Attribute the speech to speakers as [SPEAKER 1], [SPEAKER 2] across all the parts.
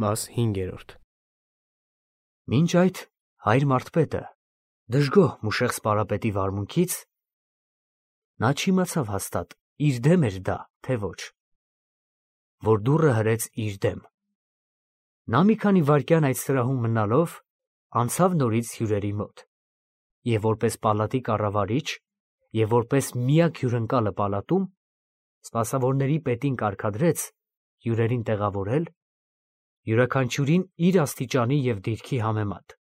[SPEAKER 1] Մաս 5.
[SPEAKER 2] Մինչ այդ հայր Մարդպետը դժգոհ Մուշեղ սպարապետի վարմունքից նա չիմացավ հաստատ իր դեմ էր դա, թե ոչ, որ դուռը հրեց իր դեմ։ Նա մի քանի վայրկյան այդ սրահում մնալով անցավ նորից հյուրերի մոտ և որպես պալատի կառավարիչ և որպես միակ հյուրընկալը պալատում սպասավորների պետին կարգադրեց հյուրերին տեղավորել յուրաքանչյուրին իր աստիճանի և դիրքի համեմատ,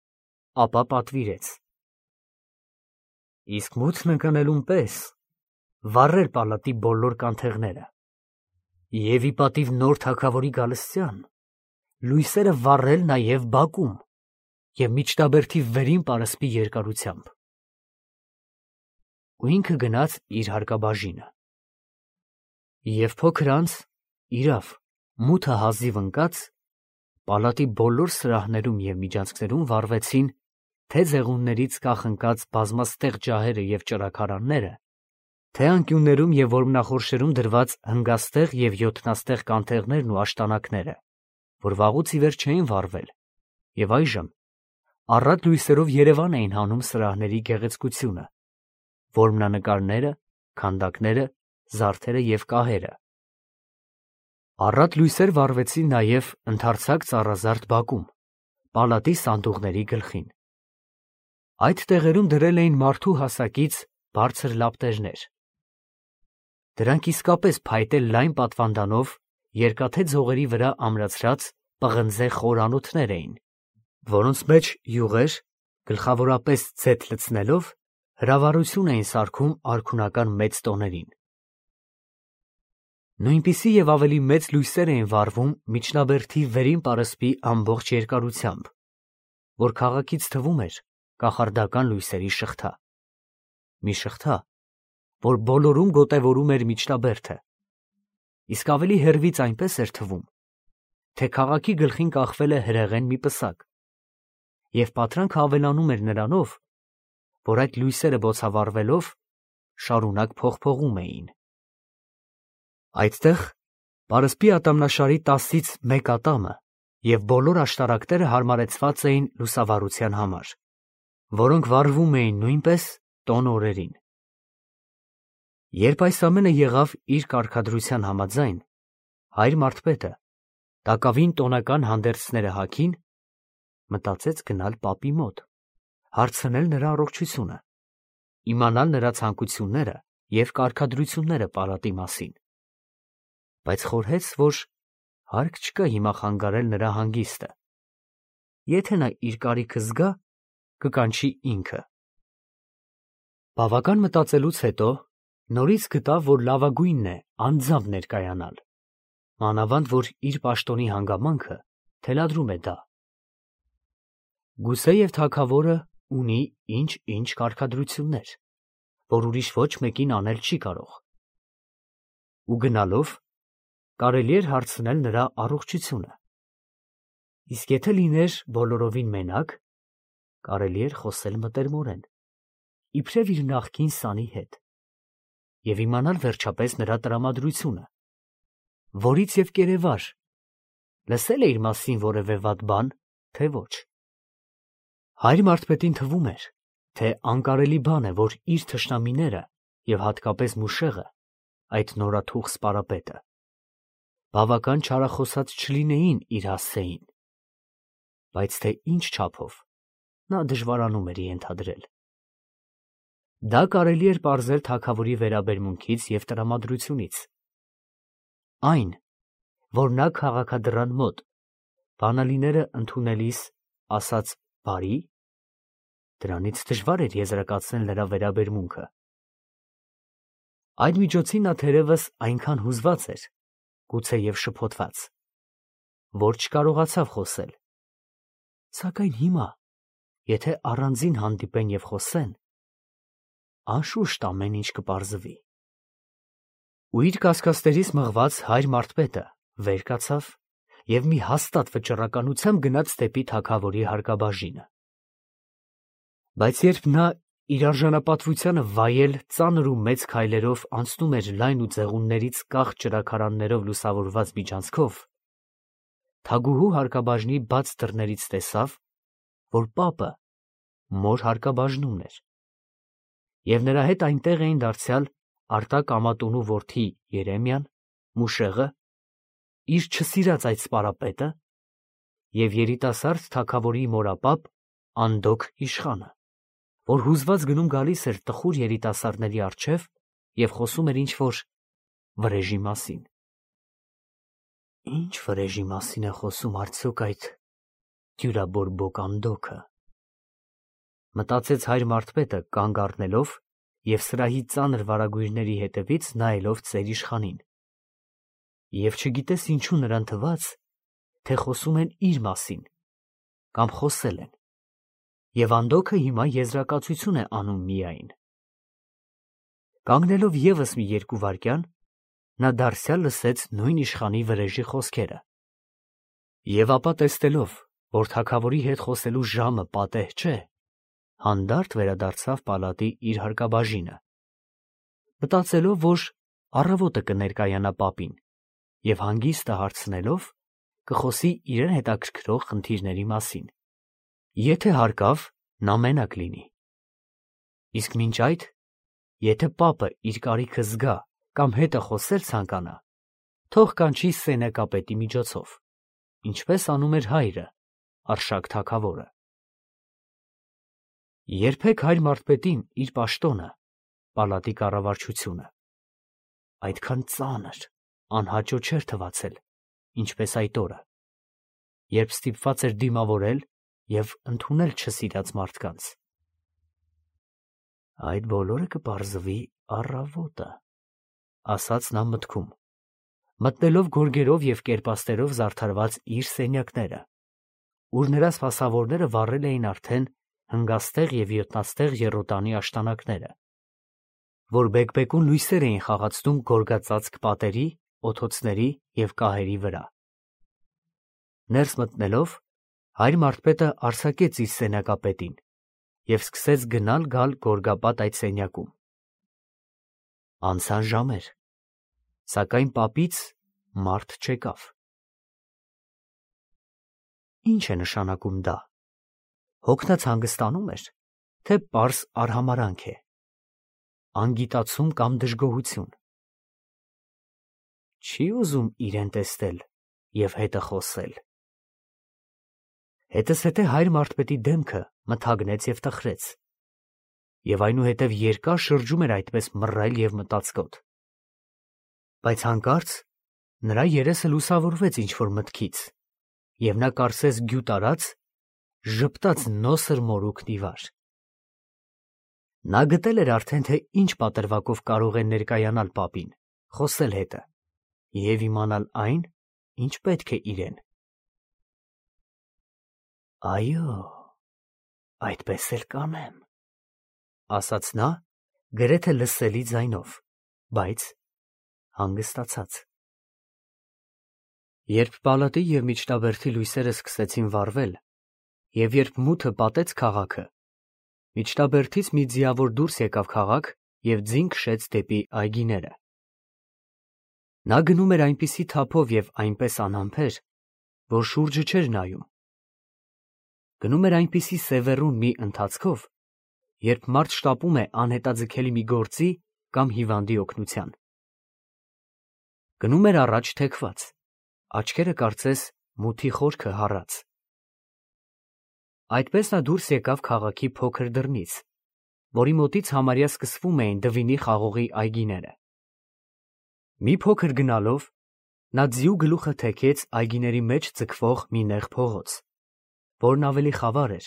[SPEAKER 2] ապա պատվիրեց. իսկ մութն ընկնելուն պես վառել պալատի բոլոր կանթեղները և ի պատիվ նոր թագավորի գալստյան լույսերը վառել նաև բակում և միջնաբերդի վերին պարսպի երկարությամբ։ Ու ինքը գնաց իր հարկաբաժինը։ Եվ փոքր անց, իրավ, մութը հազիվ ընկած, պալատի բոլոր սրահներում և միջանցքներում վառվեցին թե ձեղուններից կախնկած բազմաստեղ ջահերը և ճրագարանները, թե անկյուններում և որմնախորշերում դրված հնգաստեղ և յոթնաստեղ կանթեղներն ու աշտանակները, որ վաղուց ի վեր չէին վառվել, և այժմ առատ լույսերով երևան էին հանում սրահների գեղեցկությունը, որմնանկարները, քանդակները, զարդերը և կահերը։ Առատ լույսեր վառվեցին նաև ընդարձակ ծառազարդ բակում, պալատի սանդուղների գլխին։ Այդ տեղերում դրել էին մարդու հասակից բարձր լապտերներ։ Դրանք իսկապես փայտե լայն պատվանդանով երկաթե ձողերի վրա ամրացրած պղնձե խոր անոթներ էին, որոնց մեջ յուղեր, գլխավորապես ձեթ լցնելով, հրավառություն էին սարքում արքունական մեծ տոներին։ Նույնպիսի և ավելի մեծ լույսեր էին վառվում միջնաբերդի վերին պարսպի ամբողջ երկարությամբ, որ քաղաքից թվում էր կախարդական լույսերի շղթա։ Մի շղթա, որ բոլորում գոտևորում էր միջնաբերդը, իսկ ավելի հեռվից այնպես էր թվում, թե քաղաքի գլխին կախվել է հրեղեն մի պսակ, և պատրանքը ավելանում էր նրանով, որ այդ լույսերը բոցավառվելով շարունակ փողփողում էին։ Այդտեղ պարսպի ատամնաշարի 10-ից 1 ատամը և բոլոր աշտարակները հարմարեցված էին լուսավառության համար, որոնք վառվում էին նույնպես տոն օրերին։ Երբ այս ամենը եղավ իր կարգադրության համաձայն, հայր Մարդպետը տակավին տոնական հանդերձները հագին, մտածեց գնալ պապի մոտ, հարցնել նրա առողջությունը, իմանալ նրա ցանկությունները և կարգադրությունները պալատի մասին, բայց խորհեց, որ հարկ չկա հիմա խանգարել նրա հանգիստը, եթե նա իր կարիքը զգա, կկանչի ինքը։ Բավական մտածելուց հետո նորից գտավ, որ լավագույնն է անձամբ ներկայանալ, մանավանդ որ իր պաշտոնի հանգամանքը թելադրում է դա։ Գուցեև թագավորը ունի ինչ-ինչ կարգադրություններ, որ ուրիշ ոչ մեկին անել չի կարող, ու գնալով կարելի էր հարցնել նրա առողջությունը, իսկ եթե լիներ բոլորովին մենակ, կարելի էր խոսել մտերմորեն, իբրև իր նախկին սանի հետ, և իմանալ վերջապես նրա տրամադրությունը, որից և կերևար, լսել է իր մասին որևէ վատ բան, թե ոչ։ Հայր Մարդպետին թվում էր, թե անկարելի բան է, որ իր թշնամիները և հատկապես Մուշեղը, այդ նորաթուխ սպարապետը, բավական չարախոսած չլինեին իր հասցեին, բայց թե ինչ չափով, նա դժվարանում էր ենթադրել։ Դա կարելի էր պարզել թագավորի վերաբերմունքից և տրամադրությունից։ Այն, որ նա քաղաքադռան մոտ բանալիները ընդունելիս ասաց բարի, դրանից դժվար էր եզրակացնել նրա վերաբերմունքը։ Այդ միջոցին նա թերևս այնքան հուզված էր, գուցեև շփոթված, որ չկարողացավ խոսել, սակայն հիմա, եթե առանձին հանդիպեն և խոսեն, անշուշտ ամեն ինչ կպարզվի։ Ու իր կասկածներից մղված հայր Մարդպետը վեր կացավ և մի հաստատ վճռականությամբ գնաց դեպի թագավորի հարկաբաժինը։ Բայց երբ նա իր արժանապատվությանը վայել ծանր ու մեծ քայլերով անցնում էր լայն ու ձեղուններից կախ ճրագարաններով լուսավորված միջանցքով, թագուհու հարկաբաժնի բաց դռներից տեսավ, որ պապը մոր հարկաբաժնումն էր, և նրա հետ այնտեղ էին դարձյալ Արտակ ամատունու որդի Երեմիան, Մուշեղը, իր չսիրած այդ սպարապետը և երիտասարդ թագավորի մորապապ Անդոք իշխանը, որ հուզված գնում գալիս էր տխուր երիտասարդների առջև և խոսում էր ինչ-որ վրեժի մասին։ Ինչ վրեժի մասին է խոսում արդյոք այդ դյուրաբորբոք Անդոքը, մտածեց հայր Մարդպետը կանգ առնելով և սրահի ծանր վարագույրների հետևից նայելով ծեր իշխանին, և չգիտես ինչու նրան թվաց, թե խոսում են իր մասին կամ խոսել են, և Անդոքը հիմա եզրակացություն է անում միայն։ Կանգնելով ևս մի 2 վայրկյան, նա դարձյալ լսեց նույն իշխանի վրեժի խոսքերը, և ապա տեսնելով, որ թագավորի հետ խոսելու ժամը պատեհ չէ, հանդարտ վերադարձավ պալատի իր հարկաբաժինը, մտածելով, որ առավոտը կներկայանա պապին և հանգիստը հարցնելով կխոսի իրեն հետաքրքրող խնդիրների մասին, եթե հարկավ նա մենակ լինի, իսկ մինչ այդ, եթե պապը իր կարիքը զգա կամ հետը խոսել ցանկանա, թող կանչի սենյակապետի միջոցով, ինչպես անում էր հայրը, Արշակ թագավորը։ Երբեք հայր Մարդպետին իր պաշտոնը, պալատի կառավարչությունը, այդքան ծանր, անհաճո չէր թվացել, ինչպես այդ օրը, երբ ստիպված էր դիմավորել և ընդունել չսիրած մարդկանց։ Այդ բոլորը կպարզվի առավոտը, ասաց նա մտքում, մտնելով գորգերով և կերպաստերով զարդարված իր սենյակները, ուր նրա սպասավորները վառել էին արդեն հնգաստեղ և յոթնաստեղ եռոտանի աշտանակները, որ բեկբեկուն լույսեր էին խաղացնում գորգածածկ պատերի, օթոցների և կահերի վրա։ Ներս մտնելով, հայր Մարդպետը արձակեց իր սենյակապետին և սկսեց գնալ-գալ գորգապատ այդ սենյակում։ Անցան ժամեր, սակայն պապից մարդ չեկավ։ Ինչ է նշանակում դա, հոգնած հանգստանում էր, թե պարզ արհամարհանք է, անգիտացում կամ դժգոհություն։ Չի ուզում իրեն տեսնել և հետը խոսել։ Հետզհետե հայր Մարդպետի դեմքը մթագնեց և տխրեց, և այնուհետև երկար շրջում էր այդպես մռայլ և մտածկոտ, բայց հանկարծ նրա երեսը լուսավորվեց ինչ-որ մտքից, և նա կարծես գյուտ արած ժպտաց նոսր մորուքն ի վար։ Նա գտել էր արդեն, թե ինչ պատրվակով կարող է ներկայանալ պապին, խոսել հետը և իմանալ այն, ինչ պետք է իրեն։ Այո, այդպես էլ կանեմ, ասաց նա գրեթե լսելի ձայնով, բայց հանգստացած։ Երբ պալատի և միջնաբերդի լույսերը սկսեցին վառվել, և երբ մութը պատեց քաղաքը, միջնաբերդից մի ձիավոր դուրս եկավ քաղաք և ձին քշեց դեպի այգիները։ Նա գնում էր այնպիսի թափով և այնպես անհամբեր, որ շուրջը չէր նայում։ Գնում էր այնպիսի սևեռուն մի ընթացքով, երբ մարդ շտապում է անհետաձգելի մի գործի կամ հիվանդի օգնության։ Գնում էր առաջ թեքված, աչքերը կարծես մութի խորքը հառած։ Այդպես նա դուրս եկավ քաղաքի փոքր դռնից, որի մոտից համարյա սկսվում էին Դվինի խաղողի այգիները։ Մի փոքր գնալով, նա ձիու գլուխը թեքեց այգիների մեջ ձգվող մի նեղ փողոց, որն ավելի խավար էր,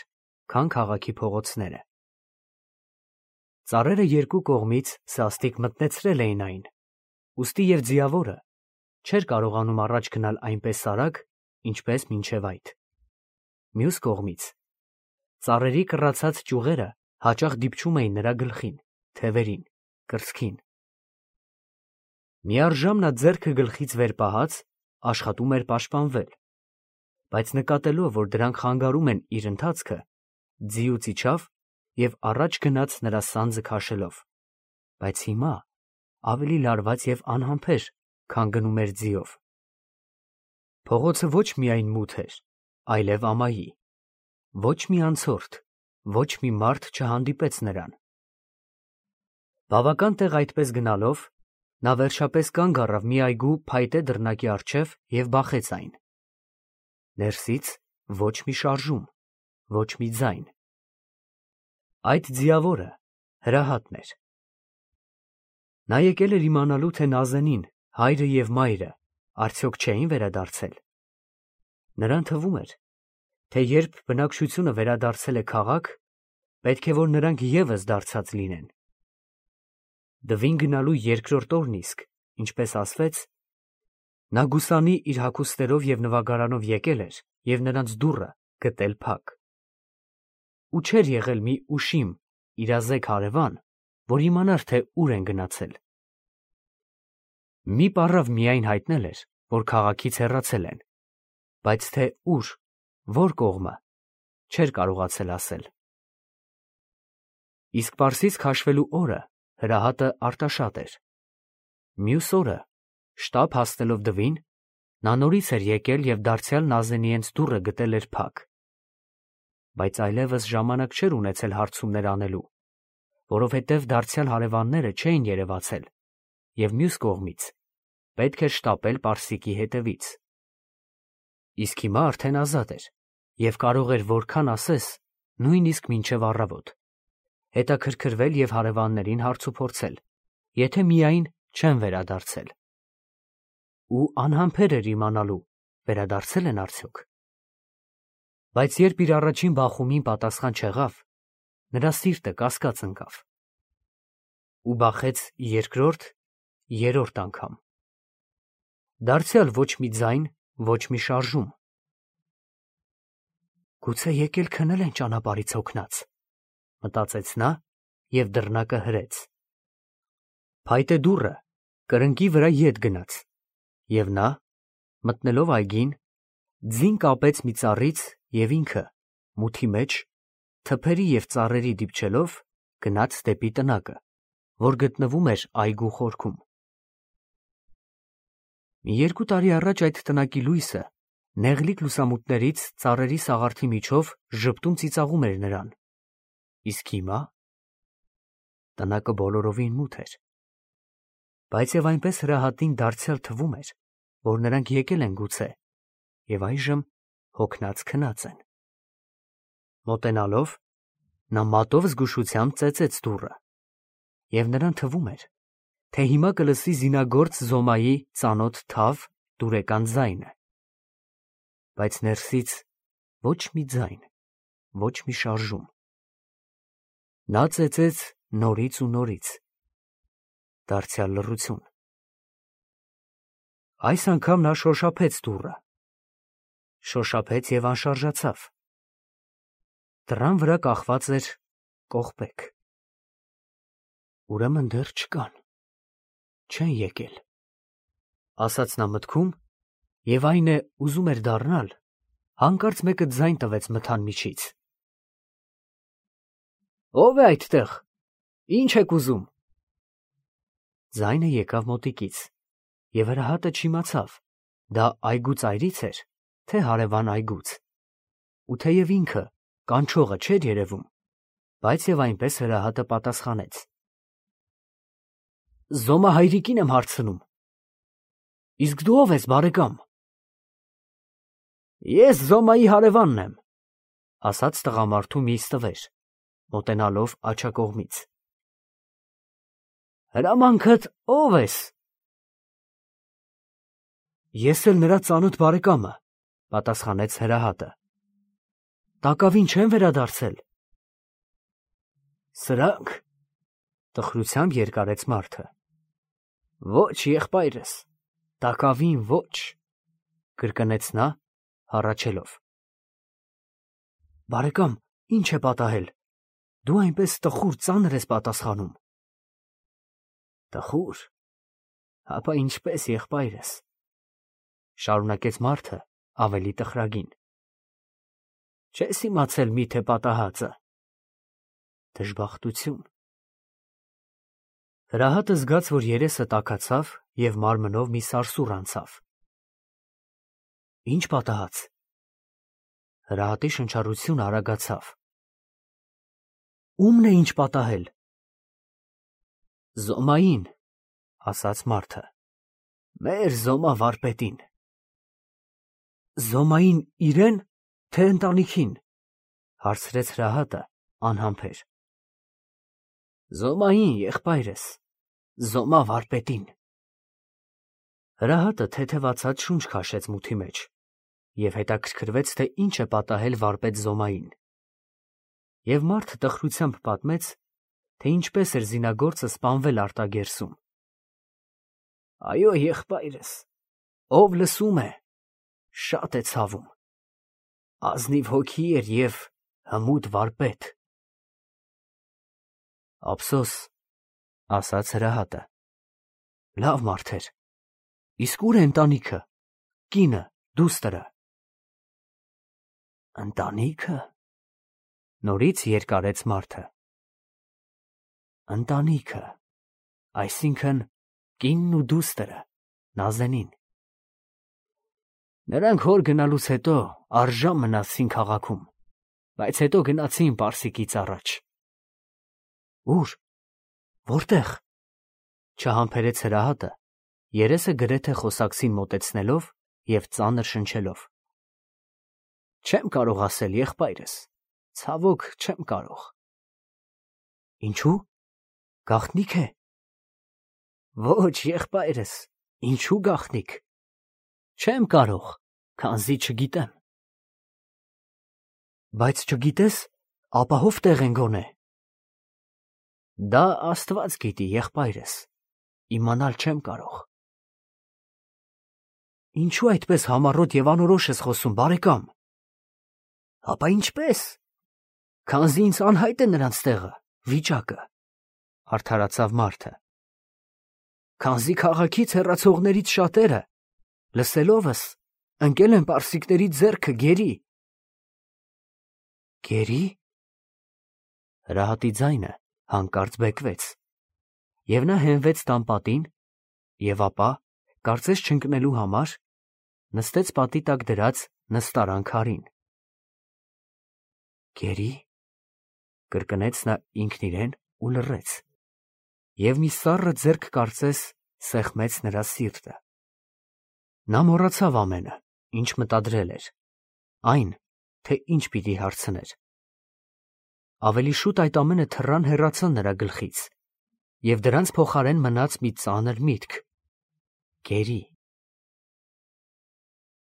[SPEAKER 2] քան քաղաքի փողոցները։ Ծառերը երկու կողմից սաստիկ մտնեցրել էին այն, ուստի և ձիավորը չէր կարողանում առաջ գնալ այնպես արագ, ինչպես մինչև այդ։ Մյուս կողմից, ծառերի կռացած ճյուղերը հաճախ դիպչում էին նրա գլխին, թևերին, կրծքին։ Միառժամ նա ձեռքը գլխից վեր պահած աշխատում էր պաշտպանվել, բայց նկատելով, որ դրանք խանգարում են իր ընթացքը, ձիուց իջավ և առաջ գնաց նրա սանձը քաշելով, բայց հիմա ավելի լարված և անհամբեր, քան գնում էր ձիով։ Փողոցը ոչ միայն մութ էր, այլև ամայի։ Ոչ մի անցորդ, ոչ մի մարդ չհանդիպեց նրան։ Բավական տեղ այդպես գնալով, նա վերջապես կանգ առավ մի այգու փայտե դռնակի առջև և բախեց այն։ Ներսից ոչ մի շարժում, ոչ մի ձայն։ Այդ ձիավորը Հրահատն էր։ Նա եկել էր իմանալու, թե Նազենին, հայրը և մայրը արդյոք չէին վերադարձել։ Նրան թվում էր, թե երբ բնակչությունը վերադարձել է քաղաք, պետք է որ նրանք ևս դարձած լինեն։ Դվին գնալու երկրորդ օրն իսկ, ինչպես ասվեց, նա գուսանի իր հագուստերով և նվագարանով եկել էր և նրանց դուռը գտել փակ։ Ու չէր եղել մի ուշիմ, իրազեկ հարևան, որ իմանար, թե ուր են գնացել։ Մի պառավ միայն հայտնել էր, որ քաղաքից հեռացել են, բայց թե ուր, որ կողմը, չէր կարողացել ասել։ Իսկ Պարսից քաշվելու օրը Հրահատը արտաշատ էր։ Մյուս օրը, շտապ հասնելով Դվին, նա նորից էր եկել և դարձյալ Նազենիենց դուռը գտել էր փակ։ Բայց այլևս ժամանակ չէր ունեցել հարցումներ անելու, որովհետև դարձյալ հարևանները չէին երևացել, և մյուս կողմից պետք էր շտապել Պարսիկի հետևից։ Իսկ հիմա արդեն ազատ էր և կարող էր որքան ասես, նույնիսկ մինչև առավոտ, հետաքրքրվել և հարևաններին հարցուփորձել, եթե միայն չեն վերադարձել։ Ու անհամբեր էր իմանալու, վերադարձել են արդյոք։ Բայց երբ իր առաջին բախումին պատասխան չեղավ, նրա սիրտը կասկած ընկավ։ Ու բախեց երկրորդ, երրորդ անգամ։ Դարձյալ ոչ մի ձայն, ոչ մի շարժում։ Գուցե եկել քնել են ճանապարհից հոգնած, մտածեց նա և դռնակը հրեց։ Փայտե դուռը կրկնակի վրա ետ գնաց, և նա, մտնելով այգին, ձին կապեց մի ծառից և ինքը, մութի մեջ, թփերի և ծառերի դիպչելով, գնաց դեպի տնակը, որ գտնվում էր այգու խորքում։ Մի 2 տարի առաջ այդ տնակի լույսը նեղլիկ լուսամուտներից ծառերի սաղարթի միջով ժպտում ծիծաղում էր նրան, իսկ հիմա տնակը բոլորովին մութ էր։ Բայց և այնպես Հրահատին դարձյալ թվում էր, որ նրանք եկել են գուցե և այժմ հոգնած քնած են։ Մոտենալով, նա մատով զգուշությամբ ծեծեց դուռը, և նրան թվում էր, թե հիմա կլսի զինագործ Զոմայի ծանոթ թավ, դուրեկան ձայնը։ Բայց ներսից ոչ մի ձայն, ոչ մի շարժում։ Նա ծեծեց նորից ու նորից։ Դարձյալ լռություն։ Այս անգամ նա շոշափեց դուռը։ Շոշափեց և անշարժացավ։ Դռան վրա կախված էր կողպեք։ Ուրեմն դեռ չկան, չեն եկել, ասաց նա մտքում, և այն է, ուզում էր դառնալ, հանկարծ մեկը ձայն տվեց մթան միջից։ Ո՞վ է այդտեղ, ի՞նչ եք ուզում։ Ձայնը եկավ մոտիկից, և Հրահատը չիմացավ, դա այգու ծայրից էր, թե հարևան այգուց։ Ու թեև ինքը, կանչողը, չէր երևում, բայց և այնպես Հրահատը պատասխանեց. Զոմա հայրիկին եմ հարցնում։ Իսկ դու ո՞վ ես, բարեկամ։ Ես Զոմայի հարևանն եմ, ասաց տղամարդու մի ստվեր, մոտենալով աջակողմից։ Հրամանքդ ո՞վ ես։ Ես էլ նրա ծանոթ բարեկամը, պատասխանեց Հրահատը։ Տակավին չեն վերադարձել։ Սրանք, տխրությամբ երկարեց մարդը։ Ոչ, եղբայրս, տակավին ոչ, կրկնեց նա, հառաչելով։ Բարեկամ, ի՞նչ է պատահել։ Դու այնպես տխուր, ծանր ես պատասխանում։ Տխուր, հապա ինչպես, եղբայրս, շարունակեց մարդը ավելի տխրագին։ Չես իմացել միթե պատահածը։ Դժբախտություն։ Հրահատը զգաց, որ երեսը տաքացավ և մարմնով մի սարսուռ անցավ։ Ինչ պատահած։ Հրահատի շնչառությունը արագացավ։ Ումն է ինչ պատահել։ Զոմային, ասաց մարդը։ Մեր Զոմա վարպետին։ Զոմային իրեն, թե ընտանիքին, հարցրեց հրահատը անհամբեր։ Զոմային, եղբայրս, Զոմա վարպետին։ Հրահատը թեթևացած շունչ քաշեց մութի մեջ և հետաքրքրվեց, թե ինչ է պատահել վարպետ Զոմային։ Եվ մարդը տխրությամբ պատմեց, թե ինչպես էր զինագործը սպանվել արտագերսում։ Այո, եղբայրս, ով լսում է, շատ է ցավում։ Ազնիվ հոգի էր և հմուտ վարպետ։ Ափսոս, ասաց հրահատը։ Լավ մարդ էր։ Իսկ ուր է ընտանիքը, կինը, դուստրը։ Ընտանիքը, նորից երկարեց մարդը։ Ընտանիքը, այսինքն կինն ու դուստրը, Նազենին։ Նրանք հոր գնալուց հետո առժամ մնացին քաղաքում, բայց հետո գնացին Պարսիկից առաջ։ Ուր, որտեղ, չհամբերեց հրահատը, երեսը գրեթե խոսակցին մոտեցնելով և ծանր շնչելով։ Չեմ կարող ասել, եղբայրս, ցավոք չեմ կարող։ Ինչու՞, գաղտնիք է։ Ոչ, եղբայրս, ինչու գաղտնիք։ Չեմ կարող, քանզի չգիտեմ։ Բայց չգիտես, ապահով տեղ են գոնե։ Դա Աստված գիտի, եղբայրս, իմանալ չեմ կարող։ Ինչու այդպես համառոտ և անորոշ ես խոսում, բարեկամ։ Ապա ինչպես։ Քանզի ինձ անհայտ է նրանց տեղը, վիճակը, արդարացավ մարդը։ Քանզի քաղաքից հեռացողներից շատերը, լսելովս, ընկել են պարսիկների ձեռքը գերի։ Գերի։ Հրահատի ձայնը հանկարծ բեկվեց, և նա հենվեց տան պատին, և ապա, կարծես չընկնելու համար, նստեց պատի տակ դրած նստարան քարին։ Գերի, կրկնեց նա ինքն իրեն ու լռեց, և մի սառը ձեռք կարծես սեղմեց նրա սիրտը։ Նա մոռացավ ամենը, ինչ մտադրել էր, այն, թե ինչ պիտի հարցներ։ Ավելի շուտ այդ ամենը թռան հեռացան նրա գլխից, և դրանց փոխարեն մնաց մի ծանր միտք. գերի։